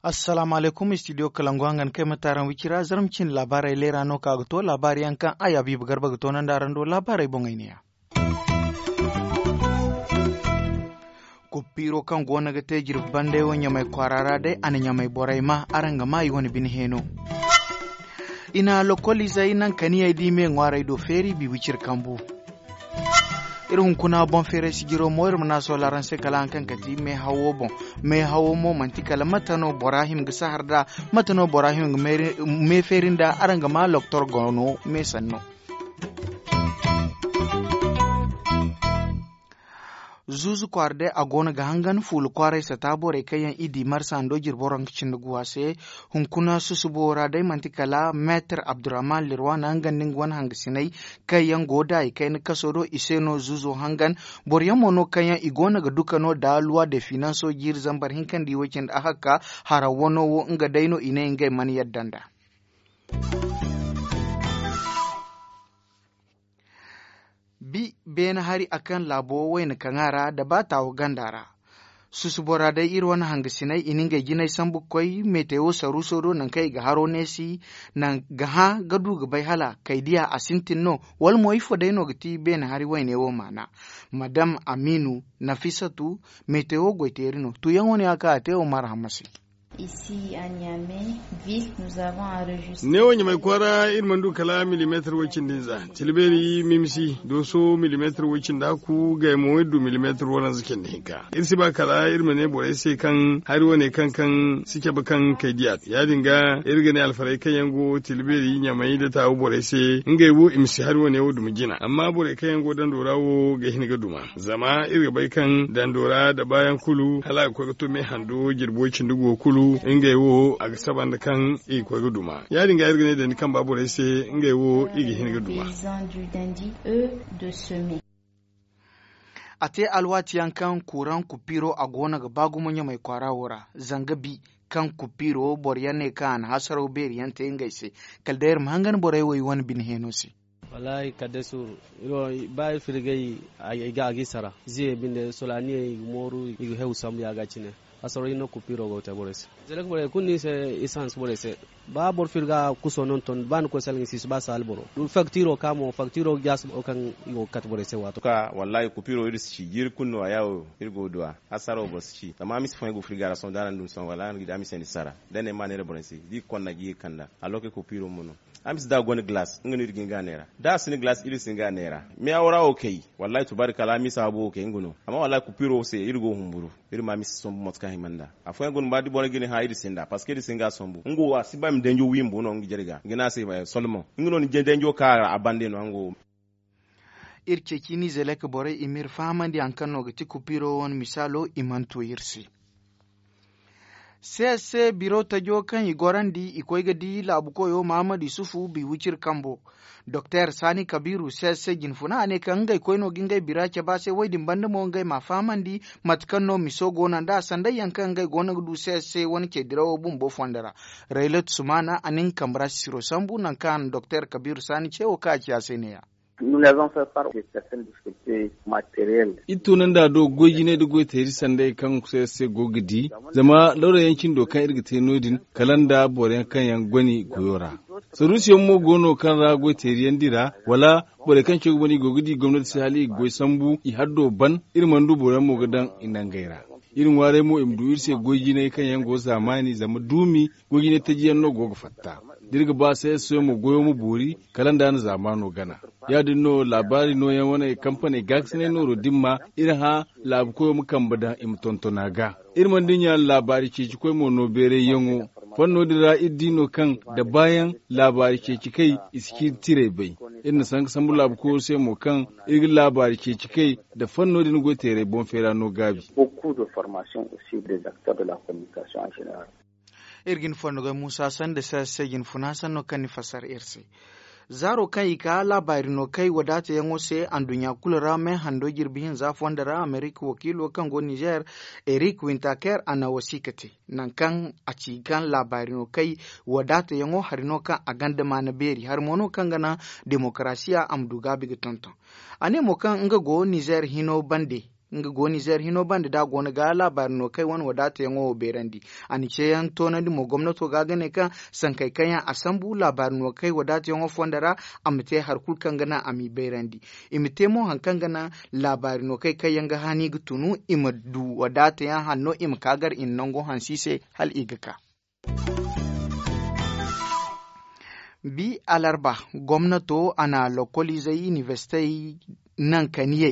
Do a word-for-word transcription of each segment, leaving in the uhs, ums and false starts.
Assalaamu alaykum, studio kalangu hangan kay ma taaraŋ wicira zarma cindi laabaarey leera no ka ga to laabaari yaŋ kaŋ a yaabiiba garba ga to nanda araŋ do laabaarey boŋey neeya. Kuppiiro kaŋ go no ga te jirbi banday wo ɲamay kwaara ra day a na ɲamay borey ma araŋ ga ma i wane bine heeno. I na lokoliizey naŋ kaniyey di me ŋwaarey do feeri bi wiciri kambu. Iri hunkuna boŋ feeray sijiro mo iri ma naŋ a soola araŋ se kala haŋ kaŋ kati meehawo boŋ. Meehawo mo manti kala mate no bora hima ga sahar nd'a? Mate no bora hima ga meefeeri nd'a araŋ ga ma loktor go no meesanno. Zuuzu kwaara day a go no ga hangan fuula kwaaray sata borey kaŋ yaŋ i di marsa hando jirbi waranka cindi guwa se. Hunkuna susubo ra day manti kala meetar abdurrahman lirwana nga nda nga wane hangasiney kaŋ yaŋ go da i kayna kaso do i se no zuuzo hangan. Boro yaŋ mo no kaŋ yaŋ i go no ga duka no da luwa de finanso jiiri zambar hinka nda i way cindi a hakka. Hara wano wo nga day no i ne ngey mana yadda nd'a. Bi beene hari a kaŋ laabo wayna kaŋ a ra nda ba taawo ganda ra. Susubo ra day iri wane hangasiney i na ngey jinay sambu ga koy metewo saruuso do nangu kaŋ i ga haro neesi. Nangu ga hã ga du ga bay hala kay diya a sintin no? Wala mo ifo day no ga ti beene hari wayne wo maana? Madam amiinu nafisatu metewo goyteeri no tuuyaŋo no ya kaŋ a te wo marhamma se. Neewo ɲamay kwaara iri mana du kala milimeetar woy cindi hinza. Tilbeeri mimisi dooso milimeetar woy cindi hakku gay mo iri du milimeetar waranza cindi hinka. Iri si ba kala iri ma ne borey se kaŋ hari wane kaŋ kaŋ si cabe kaŋ kay diya. Ya- din ga iri ga ne alfarey kaŋ yaŋ go tilbeeri ɲamay nda taawu borey se ngey wo i ma si hari wane wo duma jina amma borey kaŋ yaŋ go dando ra wo ga hin ga duma. Zama iri ga bay kaŋ dando ra nda baayaŋ kulu hala a ga koy ga to me hando jirbo cindi go kulu ngey wo a ga saba nda kaŋ i ga koy ga duma. Ya- din ga iri ga ne dandi kamba borey se ngey wo i ga hin ga duma. A te alwaati yaŋ kaŋ kuuraŋ kupiiro a go no ga ba gumo ɲamay kwaara wo ra zanga bi kaŋ kupiiro boro yaŋ ne kaŋ a na hasaraw beeri yaŋ te ngey se. Kala day iri ma hangan borey wo i wane bine heeno se. Wallaahi kadde suuru. Ba iri firgay a ga i sara ziye binde solaaniyey i ga mooru i ga hew sambu ya- ga cine. Hasaro hinne kupiiro go ga te borey se. Zalak borey kulu no i se. Isans borey se ba boro firga kuso no ni ton ba ni koy salga ni si si ba saali boro. Faktiro ka mo faktiro ga jaasi boro kaŋ i go ga kate borey se waato. Wallaahi kupiiro iri si ci jiiri kulu no a yaawo iri go ga du a. Hasaro boro si ci zama a ma si fooyaŋ go firga ra sohõ da araŋ du ni sohõ wala araŋ ga di a ma si yaŋ ni sara da ne ma neera borey se da i ga konda ga ye ga kanda. Alloke kupiiro mo no. A ma si da a gonda galaas nga no iri ga hin ga a neera da a si ni galaas iri si hin ga a neera. Meeyawo ra wo kay. Wallaahi tubaari kala a ma si a boobo kay nga no. Amma wallaahi kupiiro se iri go ga humburu. Iri ma a ma si sombu mate kaŋ hima nd'a. Afooyaŋ go no ma da boro ga ni hã iri si hin nd'a parceque iri si hin ga a sombu nga wo a si ba i ma danjo wi bumbo no nga jare ga ga ne a se solman nga no ni danjo ka a bande no nga wo. Iri ceeci nizelek borey i m'iri fahamandi hari kaŋ no ga ti kupiiro wane misaalo i mana to iri se. Seese biro tajo kaŋ i gorandi i koy ga di laabu koyo mahamadu yusufu biwiciri kambo. Doktor sani kabiru seese jinfuna a ne kaŋ ngey koy no ga ngey bira cabe a se wo- din banda mo ngey m'a fahamandi mate kaŋ no miso go no nd'a sanday yaŋ kaŋ ngey go no ga du seese wane ce dirawo bumbo fondo ra. Raylat sumana a na nga kambe ra sisiro sambu nangu kaŋ a na doktor kabiru sani ce wo kaŋ a ci a se ne- ya. Iri tunandi a do goy jinay nda goy teeri sanday kaŋ se se go ga di zama lawra yaŋ cindo kaŋ iri ga te no- din kala nda boro yaŋ kaŋ yaŋ goni goyo ra. Saruusiyaŋ mo go no kaŋ ra goy teeri yaŋ dira wala borey kaŋ caw ga ban i go ga di gomnati se hala i ga goy sambu i haddo ban. Iri mana du boro yaŋ mo ga daŋ i nangey ra. Iri ŋwaaray mo i ma du iri se goy jinay kaŋ yaŋ go zaamaani zama duumi goy jinay taji yaŋ no go ga fatta. Da iri ga ba se se mo goyo ma boori kala nda a na zaamaano gana. Ya- din no laabaari nooyaŋ wane kampaney gaakasinay nooro dimma iri hã laabu koyo ma kambe daŋ i ma tonton a ga. Iri mana dinya laabaari ceeci koy mo no beeray yaŋo. Fanno din ra iri di no kaŋ da baayaŋ laabaari ceeci kay i si ciiri tiray bay. Iri na sanka sambu laabu koyo se mo kaŋ iri ga laabaari ceeci kay nda fanno din goy teeray boŋ feera no gaabi. Iri ga ni fondogay muusa sanda se se jinfuna sanno kaŋ ni fassara iri se. Zaaro kaŋ i ka laabaari no kay wadaatayaŋo se anduɲɲa kulu ra me hando jirbi hinza fondo ra amerika wakiilo kaŋ go nizeer, erik wintaker a na wasiika te nangu kaŋ a ci kaŋ laabaari no kay wadaatayaŋo hari no kaŋ a gonda maana beeri hari mo no kaŋ ga naŋ demokarasiya a ma du gaabi ga tonton. A ne mo kaŋ nga go nizeer hino bande nga go nizeer hino bande da a go no ga laabaari no kay wane wadaatayaŋo wo beerandi. A na ceeyaŋ toonandi mo gomnato ga ga ne kaŋ sankey kaŋ yaŋ a sambu laabaari no kay wadaatayaŋo fondo ra a ma te hari kulu kaŋ ga naŋ a m'i bayrandi. I ma te mo hari kaŋ ga naŋ laabaari no kay kaŋ yaŋ ga hani ga tunu i ma du wadaatayaŋ hanno i ma ka gar i na nango hansi se hala i ga ka. Bi alarba gomnato a na lokoliizey inibersitey nankaniyey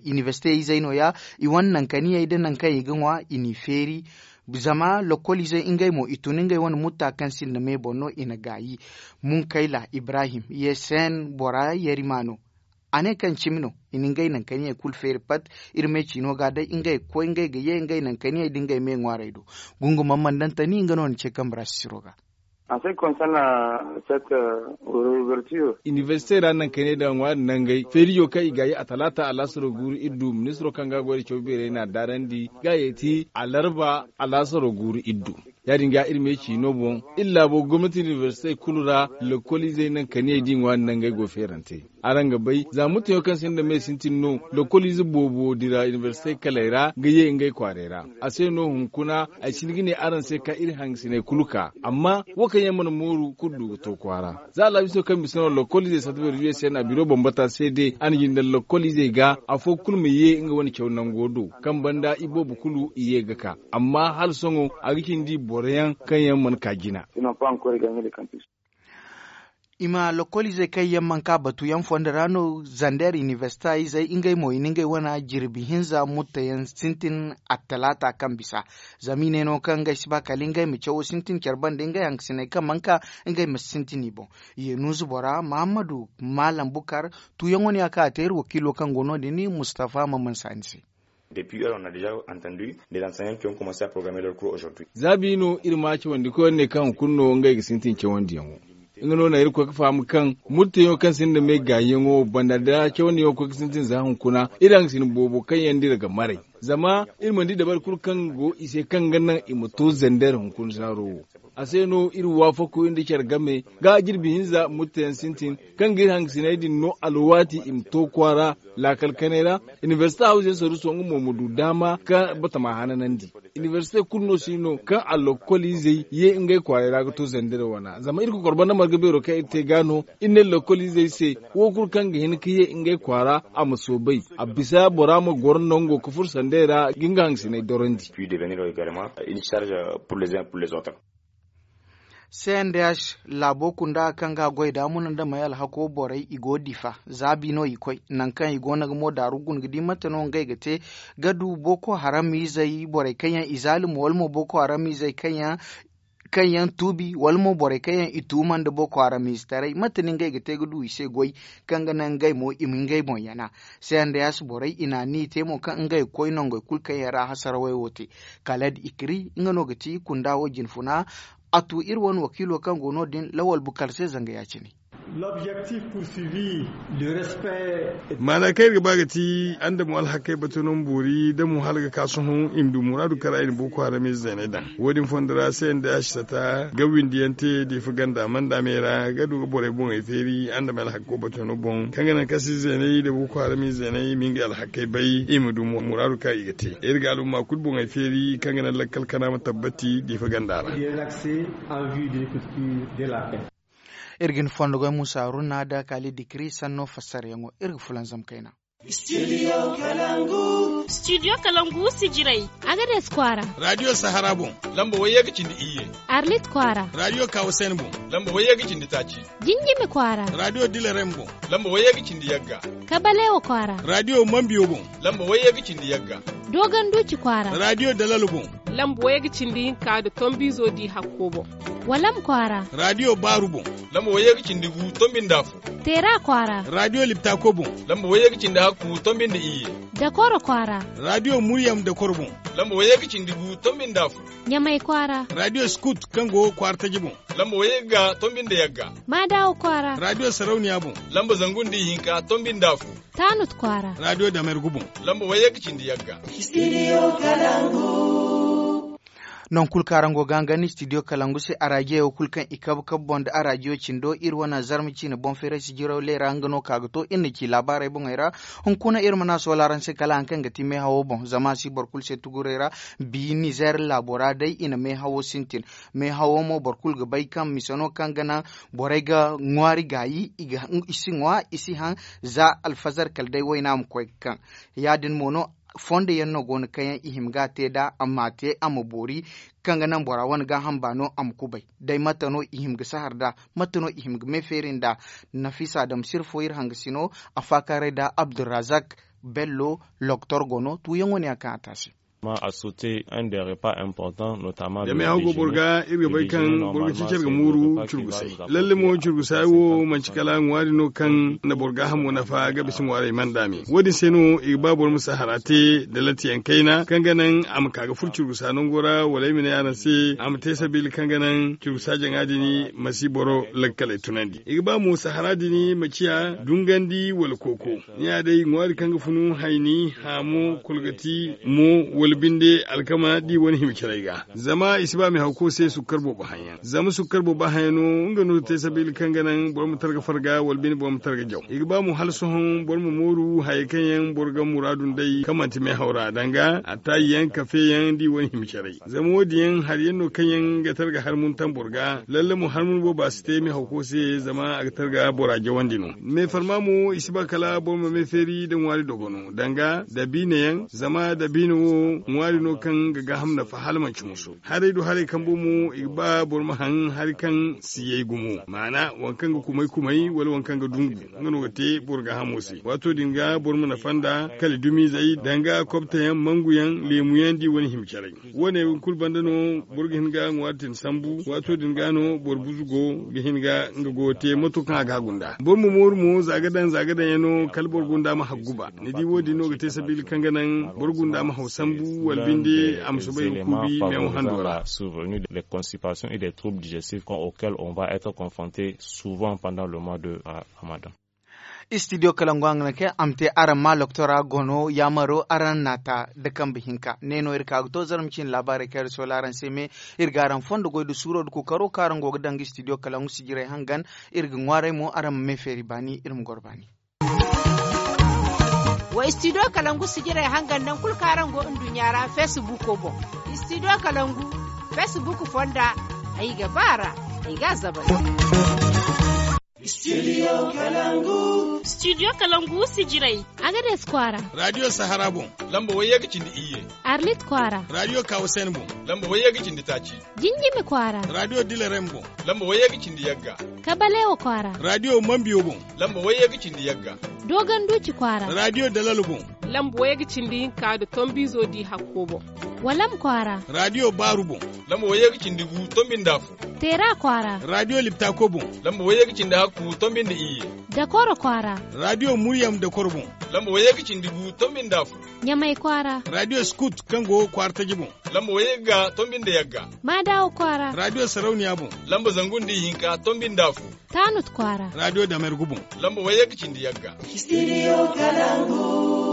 inibersitey izey no- ya i wane nankaniyey nda nangu kaŋ i ga ŋwa i n'i feeri. Zama lokoliizey ngey mo i tun ngey wane mutta kaŋ sinda me boŋ no i na gaayi. Munkayla ibrahim ye seen bora yarima no. A ne kaŋ cimi no i na ngey nankaniyey kulu feeri pat. Iri me ciino ga day ngey ga koy ngey ga ye ngey nankaniyey nda ngey me ŋwaarey do. Gungumaŋ mandantani nga no na ce kambe ra sisiro ga. Inibersite ra nankaniyey nda ŋwaari nangey feerijo kaŋ i gaayi a talaata alaasaro guuru iddu ministiro kaŋ ga goy nda caw beerey n'a daarandi ga ye ti alarba alaasaro guuru iddu. Ya- din ga iri me ciino boŋ iri laabo gomnati inibersitey kulu ra lokoliizey nankaniyey da i ŋwaari nangey go feerante. Araŋ ga bay za mutteyaŋo kaŋ sinda me sintin no lokoliize boobo dira inibersitey kaley ra ga ye ngey kwaarey ra. A se no hunkuna ay si hin ga ne araŋ se kaŋ iri hangasiney kulu ka amma wo kaŋ yaŋ mana mooru kulu du ga to kwaara. Za alaabiso kaŋ bisa no lokoliizey sata beeri u s n a biro bambata se de a na jinde lokoliizey ga afo kulu ma ye nga wane caw nango do. Kaŋ banda iboobo kulu i ye ga ka amma hala sohõ a ga cindi boro yaŋ kaŋ yaŋ mana ka jina. I ma lokoliizey kaŋ yaŋ mana ka batuyaŋ fondo ra no zander inibersita izey ngey mo i na ngey wane jirbi hinza mutteyaŋ sintin attalaata kaŋ bisa. Zama i ne no kaŋ ngey si ba kala ngey ma cawo sintin care banda ngey hangasiney kaŋ mana ka ngey ma si sintin i boŋ. Yenuuzu bora mahammadu maalam bukar tuuyaŋo no ya kaŋ a te iri wakiilo kaŋ go no- din mustafa maman saani se. Za bi no iri ma cawandi koyne ne kaŋ hunkuna no ngey ga sintin cawandiyaŋo. Nga no na iri koy ga faham kaŋ murteyaŋo kaŋ sinda me gaayiyaŋo banda da cawandiyaŋo koy ga sintin za hunkuna iri hangasin boobo kaŋ yaŋ da iri ga maray. Zama iri mana di dabari kulu kaŋ go i se kaŋ ga naŋ i ma to zander hunkuna zaaro wo. A se no iri waafako iri nda care game ga jirbi hinza murteyaŋ sintin kaŋ ga iri hangasiney din no alwaati i ma to kwaara. Laakal kanay ra inibersite hawza yaŋ saruuso nga mo ma du daama kaŋ batama hananandi. Inibersite kulu no si no kaŋ a lokoliizey ye ngey kwaaray ra ga to zandare wana zama iri kokor banda marga beero kaŋ iri te ga no. Iri ne lokoliizey se wo kulu kaŋ ga hin ga ye ngey kwaara a ma soobay a bisa bora ma goro nango ga furo sanday ra ga nga hangasiney dorandi. Cndh laabo kunda kaŋ ga goy da muna nda may alhako borey i go difa za bi no i koy nangu kaŋ i go no ga mo daaru guna ga di mate no ngey ga te ga du boko haram izey borey kaŋ yaŋ i zaalim wala mo boko haram izey kaŋ yaŋ tuubi wala mo borey kaŋ yaŋ i tuuma nda boko haram ize taray mate no ngey ga te ga du i se goy kaŋ ga naŋ ngey mo i ma ngey boŋ yana. Cnds borey i na ni te mo kaŋ ngey ga koy nongey kulu kaŋ yaŋ ra hasarawey wo te. Kala da i kiri nga no ga ti kunda wo jinfuna. A tu iri wane wakiilo kaŋ go no- din lawal bukar se zanga ya- cine. Maana kaŋ iri ga ba ga ti andamo alhakey batuno ma boori da mo hala ga ka sohõ i ma du muraadu kaŋ ra i na boko haram ize zeeney daŋ. Wo- din fondo ra se nda a si sata ga windi yaŋ te diifa ganda manda me ra ga du ga borey boŋey feeri andamo alhakko batuno boŋ kaŋ ga naŋ kaŋ se zeeney da boko haram ize zeeney i ma ngey alhakey bay i ma du muraadu kaŋ i ga te. Iri ga alumma kulu boŋey feeri kaŋ ga naŋ lakkal kana ma tabbati diifa ganda ra. Iri ga ni fondo goy musa haruna da kali dikiri sanno fassaryaŋo iri ga fulanzam kayna. Studio kalangu sijirey. Agades kwaara. Radio sahara boŋ. Lamba wayye ga cindi iyye. Arlit kwaara. Radio kawasen boŋ. Lamba wayye ga cindi taaci. Jinjimi kwaara. Radio dilarem boŋ. Lamba wayye ga cindi yagga. Kabalewa kwaara. Radio mambiyo boŋ. Lamba wayye ga cindi yagga. Dogon duci kwaara. Radio dalalo boŋ. Lamba wayye ga cindi hinka nda tombiizo di hakko boŋ. Walam kwaara. Raadiyo baaru boŋ. Lamba wayye ga cindi gu tombi nda afo. Teera kwaara. Raadiyo liptako boŋ. Lamba wayye ga cindi hakku tombi nda iyye. Dakoro kwaara. Raadiyo muryam dakoro boŋ. Lamba wayye ga cindi gu tombi nda afo. Ɲamay kwaara. Raadiyo skut kaŋ go kwaara taji boŋ. Lamba wayye ga tombi nda yagga. Maadawo kwaara. Raadiyo sarauniya boŋ. Lamba zangu nda ihinka tombi nda afo. Taanut kwaara. Raadiyo damergu boŋ. Lamba wayye ga cindi yagga. Nangu kulu kaŋ araŋ go ga hangan studio kalangu se arajiyo kulu kaŋ i kabe kabe boŋ nda arajiyo cindo iri wane zarma ciine boŋ feeray sijiraw leera nga no ka ga to iri na ci laabaarey boŋey ra. Hunkuna iri mana soola araŋ se kala hari kaŋ ga ti meehawo boŋ zama a si boro kulu se tuguray ra. Bi nizeer laabo ra day i na meehawo sintin. Meehawo mo boro kulu ga bay kaŋ mise no kaŋ ga naŋ borey ga ŋwaari gaayi i si ŋwa i si haŋ. Za alfazar kala day wayna ma koy ga kaŋ ya- din mo no. Fondo yaŋ no go no kaŋ yaŋ i hima ga a te nd'a a ma a te a ma boori kaŋ ga naŋ bora wane gaaham baano a ma kubay. Day mate no i hima ga sahar nd'a? Mate no i hima ga me feeri nd'a? Nafiisa dam sirfo iri hangasino a faakaaray nda abdulrazak bello. Loktor go no tuuyaŋo ne yaŋ kaŋ a te a se. Zama a sauter un des repas importants notamment da meehaw go boro ga iri ga bay kaŋ boro ga ceeci iri ga mooru curgusay. Lalle mo curgusay wo manci kala ŋwaari no kaŋ na boro gaahamo nafa ga bisa ŋwaarey mana daame wo- din se no i ga ba boro ma sahara te da lattiyaŋ kayna kaŋ ga naŋ a ma ka ga furo curgusa nango ra wala ay ma ne araŋ se a ma te sabiila kaŋ ga naŋ curgusa jaŋa din ma si boro lakkaley tunandi. I ga ba mo sahara din ma ciya dungandi wala kooko. Ni ya day ŋwaari kaŋ ga funu hayni haamo kolgati mo wala binde alkama da i wane hima caray ga. Zama i si ba meehawko se sukkar boobo haŋ yaŋ zama sukkar boobo haŋ yaŋ no nga no ga te sabiila kaŋ ga naŋ boro ma targa farga wala binde boro ma targa jaw i ga ba mo hala sohõ boro ma mooru hayey kaŋ yaŋ boro ga muraadu nd'ey kaŋ manti meehaw ra danga attaayi yaŋ kafe yaŋ da i wane hima caray. Zama wo- din yaŋ hari yaŋ no kaŋ yaŋ ga targa harmuntan boro ga lalle mo harmun booba si te meehawko se zama a ga targa bora jawandi no. Meefarma mo i si ba kala boro ma me feeri nda ŋwaari dogono danga dabiina yaŋ zama dabiina wo ŋwaari no kaŋ ga gaaham nafa hala manci musu. Haray do haray kambo mo i ga ba boro ma haŋ hari kaŋ si yay gumo maana waŋ kaŋ ga kumay kumay wala waŋ kaŋ ga dungu nga no ga te boro gaahamo se waato din ga boro ma nafa nda kala dumizey danga kobtayaŋ manguyaŋ leemuyaŋ da i wane hima caray. Wo- ne kulu banda no boro ga hin ga ŋwaari tin sambu waato din ga no boro buzu go ga hin ga nga goyo te mato kaŋ a ga a gunda boro ma mooru mo za ga daŋ za ga daŋ yaŋ no kala boro gunda ma haggu ba ni di wo- din no ga te sabiila kaŋ ga naŋ boro gunda ma haw sambu wala binde a ma soobay ga kuubi meewo hando ra. Survenu des constipations et des troubles digestifs auxquels on va être confronté souvent pendant le mois de ramadan. Studio kalangu a ga naŋ kaŋ a ma te araŋ ma loktora gono yaamaro araŋ naata da kambe hinka ne no iri ka ga to zarma ciine laabaarey kaŋ iri soola araŋ se me. Iri ga araŋ fondo goy nda suuro nda kookaro kaŋ araŋ go ga daŋ ga studio kalangu sijirey hangan. Iri ga ŋwaaray mo araŋ ma me feeri baani iri ma goro baani. Wa studio kalangu sijirey hangan naŋ kulu kaŋ araŋ go nduɲɲa ra feesibuuko boŋ. Studio kalangu feesibuuko fonda ay ga ba a ra. Ay ga a zabay. Studio kalangu sijirey. Agades kwaara. Raadiyo sahara boŋ. Lamba wayye ga cindi iyye. Arlit kwaara. Raadiyo kawusen boŋ. Lamba wayye ga cindi taaci. Jinjimi kwaara. Raadiyo dilarem boŋ. Lamba wayye ga cindi yagga. Kabalewa kwaara. Raadiyo mambiyo boŋ. Lamba wayye ga cindi yagga. Dogon duuci kwaara. Raadiyo dalal boŋ. Lamba wayye ga cindi hinka nda tombiizo di hakko boŋ. Walam kwaara. Raadiyo baaru boŋ. Lamba wayye ga cindi gu tombi nda afo. Teera kwaara. Raadiyo liptako boŋ. Lamba wayye ga cindi hakku tombi nda iyye. Dakoro kwaara. Raadiyo muryam dakoro boŋ. Lamba wayye ga cindi gu tombi nda afo. Ɲamay kwaara. Raadiyo skut kaŋ go kwaara taji boŋ. Lamba wayye ga tombi nda yagga. Maadawo kwaara. Raadiyo sarauniya boŋ. Lamba zangu nda ihinka tombi nda afo. Taanut kwaara. Raadiyo damergu boŋ. Lamba wayye ga cindi yagga. Studio kalangu.